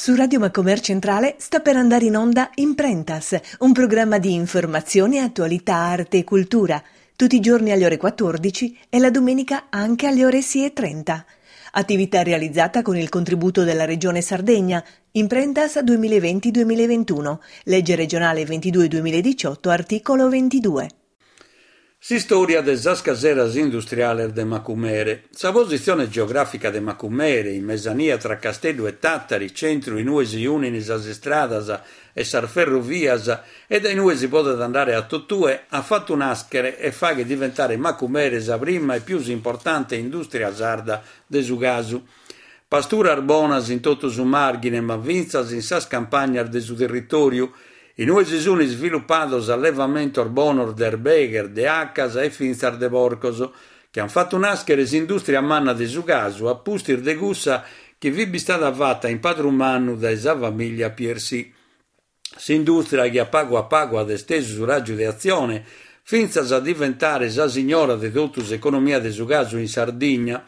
Su Radio Macomer Centrale sta per andare in onda Imprentas, un programma di informazione, attualità, arte e cultura, tutti i giorni alle ore 14 e la domenica anche alle ore 6.30. Attività realizzata con il contributo della Regione Sardegna, Imprentas 2020-2021, legge regionale 22-2018, articolo 22. S'istòria de sas caseras industriales de Macumere. Sa positzione geogràfica de Macumere, in mesania tra Casteddu e Tàtari, centru in ue si unin sas istradas e sas ferrovias e dae in ue si podet andare a totue, at fatu nàschere e faghet diventare Macumere sa prima e pius importante indùstria sarda de su casu. Pasturas bonas in totu su Màrghine, ma fintzas in sas campagnas de su territòriu, in ue si sunt isvilupados allevamentos bonos de erbeghes, de acas e fintzas de porcos, chi ant fatu nàschere s'indùstria manna de su casu a pustis de cussa chi fit bistada fata in Padru Mannu dae sa famìllia Piercy. S'indùstria chi a pagu a pagu at estesu su ràgiu de atzione fintzas a diventare sa signora de totu s'economia de su casu in Sardigna,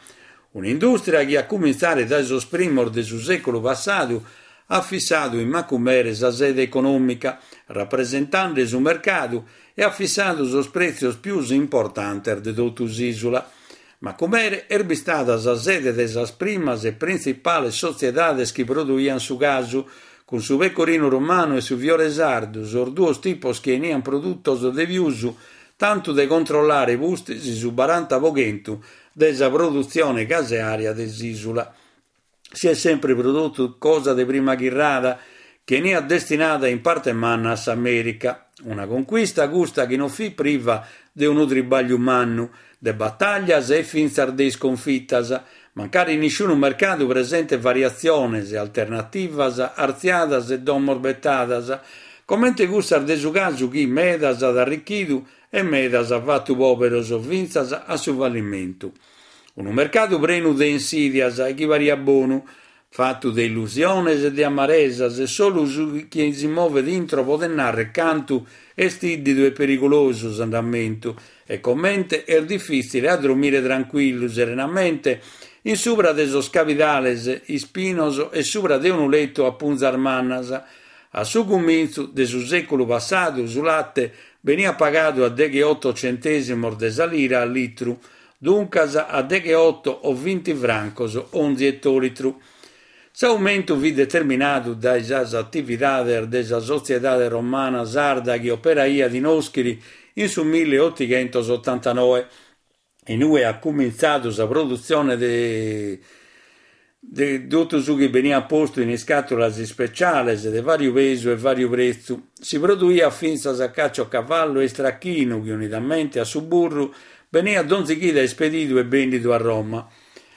un'indùstria chi a cumintzare dae sos primos de su sèculu passadu at fissadu in Macumere sa sede econòmica, rapresentende su mercadu e at fissadu sos prètzios pius importantes de totu s'ìsula. Macumere est bistada sa sede de sas primas e printzipales sotziedades chi produiant su casu, cun su pecorinu romanu e su fiore sardu, sos duos tipos chi 'eniant produtos de pius, tantu de controllare pustis su baranta po chentu de sa produtzione caseària de s'ìsula. Si est sempri produtu cosa de prima chirrada, chi 'eniat destinada in parte manna a s'Amèrica. Una conquista custa chi non fit priva de unu tribagliu mannu, de battaglias e fintzas de isconfitas, mancari nisciunu mercadu presentet variatziones, alternativas, artziadas e domos betadas, comente cussas de su casu chi medas at arrichidu e medas at fatu pòberos fintzas a su fallimentu. Unu mercadu prenu de insidias e chi pariat bonu, fatu de illusiones e de amaresas e solu su chi si movet intro podet narrer cantu est ìddidu e perigulosu s'andamentu e comente est difìtzile a dromire trancuillu, serenamente, in subra de sos cabidales ispinos e subra de unu letu a punzas mannas. A su cumintzu de su sèculu passadu su late beniat pagadu a degheoto centèsimos de sa lira a litru, duncas a degheoto o vinti francos onzi etolitru. S'aumentu fit determinadu dae sas atividades de sa Sotziedade Romana Sarda chi operaiat in Òschiri in su milleotighentosotantanoe, in ue at cumintzadu sa produtzione de de totu su chi beniat postu in iscàtulas ispeciales de vàriu pesu e vàriu pretzu. Si produiat fintzas caciocavallu e istrachinu chi unidamente a su burru beniat donzi chida ispedidu e bèndidu a Roma.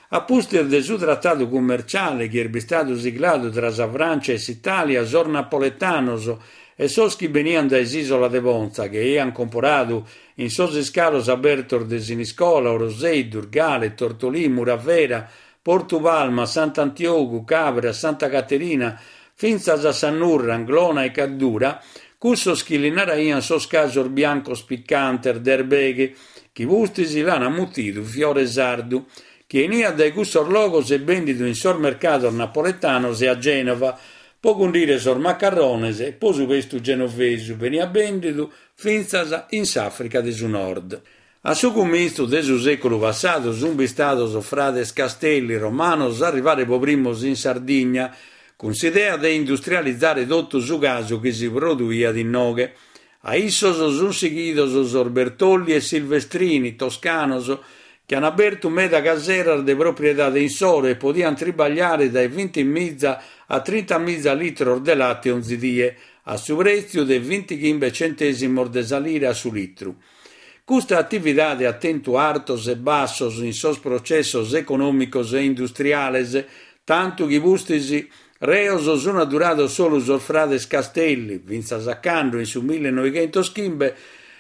A pustis de su tratadu cummerciale chi est bistadu sigladu tra sa Frància e s'Itàlia sos napoletanos e sos chi beniant dae s'ìsola de Pontza chi aiant comporadu in sos iscalos abertos de Siniscola, Orosei, Durgale, Tortolì, Muravera, Portu Palma, Sant'Antiogu, Cabras, Santa Caterina, fintzas a sa Nurra, Anglona e Caddura, cussos chi li naraiant sos casos biancos picantes de erbeghe, chi pustis l'ant mutidu fiore sardu, chi 'eniat dae cussos logos e bendidu in sos mercados napoletanos e a Gènova, po cundire sos macarrones e po su pestu genovesu, beniat bendidu fintzas in s'Àfrica de su Nord. A su cumintzu de su sèculu passadu sunt bistados frades Castelli romanos a arrivare po primos in Sardigna, cun s'idea de industrializare totu su casu chi si produiat inoghe. A issos sunt sighidos sos Bertolli e Silvestrini, toscanos, chi ant abertu meda caseras de propriedade insoro e podiant tribagliare dae vintimiza a trintamiza litros de late onzi die, a su prètziu de vintichimbe centèsimos de sa lira a su litru. Custa atividade at tentu artos e bassos in sos processos econòmicos e industriales, tantu chi pustis reos sunt addurados solu sos frades Castelli, fintzas a cando, in su millenoighentoschimbe,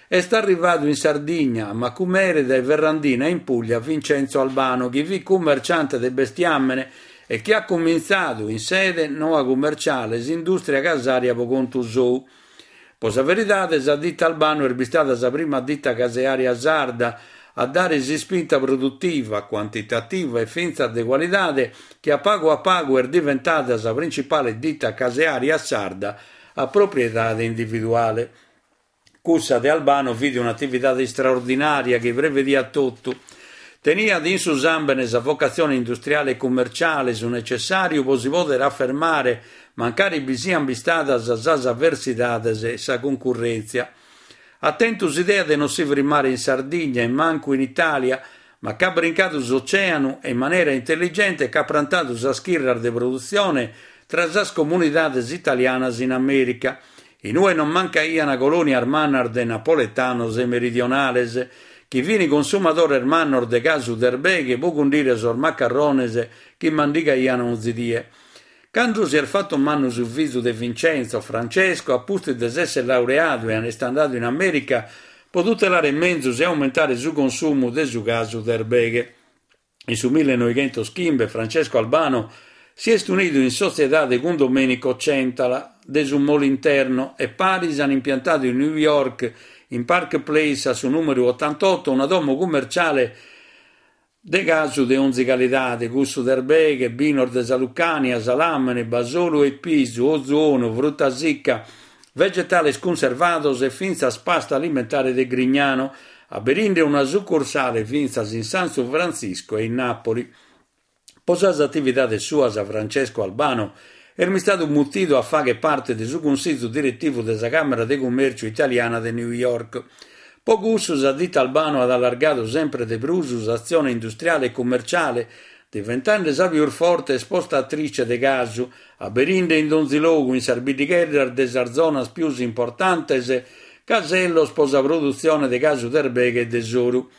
est arrivadu in Sardigna, a Macumere, dae Ferrandina in Puglia, Vincenzo Albano, chi fit cummerciante de bestiàmene e chi at cumintzadu, in sede noa cummerciale, s'indùstria casària pro contu sou. Po sa veridade sa dita Albano est bistada sa prima dita caseària sarda. a dare s'ispinta produtiva, cuantitativa e fintzas de cualidade chi a pagu a pagu est diventada sa principale dita caseària sarda a propriedade individuale. Cussa de Albano fit un'atividade istraordinària chi prevediat totu. Teniat in su sàmbene sa vocatzione industriale e cummerciale, su necessàriu pro si pòdere afermare mancari bi siant bistadas sas aversidades e sa cuncurrèntzia. At tentu s'idea de non si frimmare in Sardigna e mancu in Itàlia, ma ch'at brincadu s'ocèanu e in manera intelligente ch'at prantadu sas chirras de produtzione tra sas comunidades italianas in Amèrica, in ue non mancaiant colònias mannas de napoletanos e meridionales, chi fin consumadores mannos de casu de erbeghe pro cundire sos macarrones chi mandigaiant onzi die. Cando si est fatu mannu su fizu de Vincenzo, Francesco, a pustis de s'èssere laureadu e est andadu in Amèrica pro tutelare menzus e aumentare su consumu de su casu de erbeghe. In su millenoighentoschimbe Francesco Albano si est unidu in sotziedade cun Domenico Centala de su Moliterno e paris an impiantadu in New York, in Park Place a su nùmeru otantoto, una domo cummerciale De casu de onzi calidade, cussu de erbeghe, binos de sa Lucania, salàmene, basolu e pisu, ozu 'onu, fruta sica, vegetales cunservados e fintzas pasta alimentare de Grignano, aberinde una sucursale fintzas in San Francisco e in Nàpoli. Pro sas atividades suas Francesco Albano est bistadu mutidu a fàghere parte de su Cunsìgiu diretivu de sa Càmera de Cummèrciu Italiana de New York. Po cussu sa dita Albano at allargadu sempre de prus s'atzione industriale e cummerciale, diventende sa pius forte esportatrice de casu, aberinde in donzi logu in sas biddigheddas de sas zonas pius importantes casellos po sa produtzione de casu de erbeghe e de soru.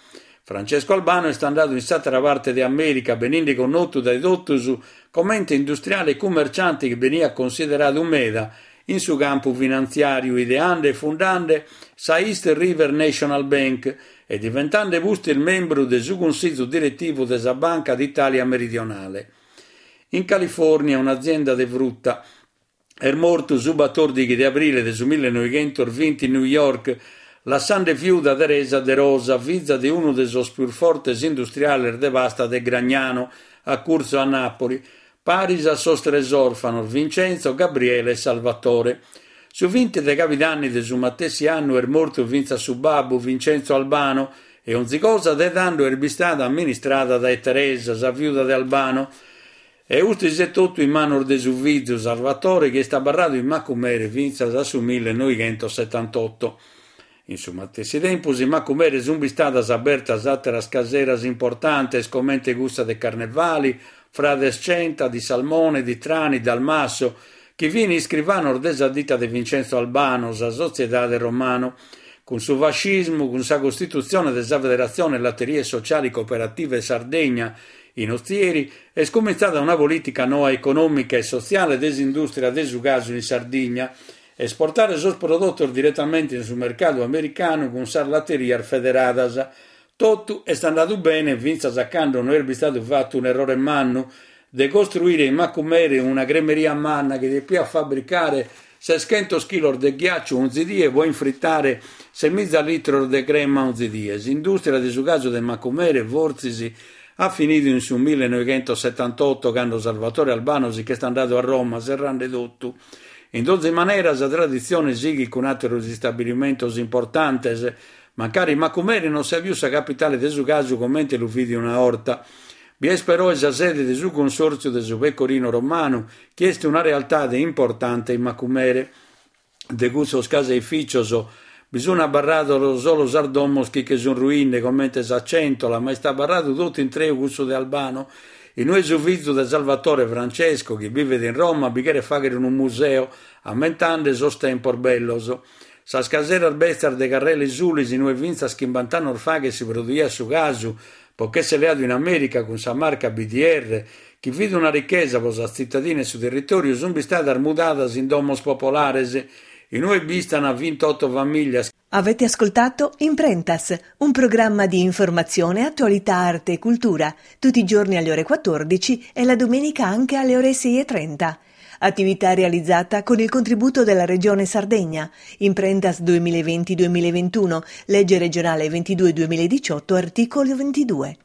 Francesco Albano est andadu in s'àtera parte de Amèrica beninde connotu dae totus comente industriale e cummerciante chi beniat consideradu meda in su campu finantziàriu ideande e fundande sa East River National Bank e diventande pustis membru de su Cunsìgiu diretivu de sa Banca d'Itàlia Meridionale. In Califòrnia un'azienda de fruta. Est mortu su batòrdighi de abrile de su millenoighentosvinti in New York, lassande fiuda Teresa De Rosa, fiza de unu de sos pius fortes industriales de pasta de Gragnano, a curtzu a Nàpoli, paris a sos tres òrfanos Vincenzo, Gabriele e Salvatore. Su vinti de cabidanni de su matessi annu est mortu fintzas su babbu, Vincenzo Albano, e onzi cosa de tando est bistada amministrada dae Teresa, sa fiuda de Albano, e pustis etotu in manos de su fizu Salvatore chi est abarradu in Macumere fintzas a su millenoighentosetantotto. In su matessi tempus in Macumere sunt bistadas abertas àteras caseras importantes comente cussa de Carnevali, Frades Centa, di Salmone, di Trani, Dalmasso, chi fin iscrivanos de sa dita de Vincenzo Albano, sa Sotziedade Romano. Cun su fascismu, cun sa costitutzione de sa Federazione Latterie Sociali Cooperative Sardegna in Ozieri, est cumintzada una polìtica noa econòmica e sotziale de s'indùstria de su casu in Sardigna, Esportare sos prodotos diretamente in su mercadu americanu cun sas laterias federadas. Totu est andadu bene fintzas a cando no est bistadu fatu un'errore mannu de costruire in Macumere una cremeria manna chi depiat fabbricare seschentos chilos de ghiàciu onzi die pro infritare semiza litros de crema onzi die. S'indùstria de su casu de Macumere fortzis at finidu in su millenoighentosetantotto cando Salvatore Albano si ch'est andadu a Roma serrande totu. In donzi manera sa traditzione sighit cun àteros istabilimentos importantes, mancari Macumere non siat pius sa capitale de su casu comente lu fit una 'orta. Bi est peroe sa sede de su Cunsòrtziu de su Pecorino Romanu, chi est una realtade importante in Macumere. De cussos caseificios bi sun abarrados solu sas domos chi che sun ruinde, comente sa Centola, ma est abarradu totu intreu cussu de Albano, inue su fizu de Salvatore Francesco, chi bivet in Roma, bi cheret fàghere unu museu, ammentande sos tempos bellos. Sas caseras betzas de Carrela 'e Sulis, inue fintzas chimbant'annos faghet si produiat su casu, pro ch'essere leadu in Amèrica cun sa marca BDR, chi fit una richesa pro sa tzitadina e su territòriu, sunt bistadas mudadas in domos popolares, in ue b'istan vintotto famìlias. Avete ascoltato Imprentas, un programma di informazione, attualità, arte e cultura, tutti i giorni alle ore 14 e la domenica anche alle ore 6.30. Attività realizzata con il contributo della Regione Sardegna. Imprentas 2020-2021, legge regionale 22-2018, articolo 22.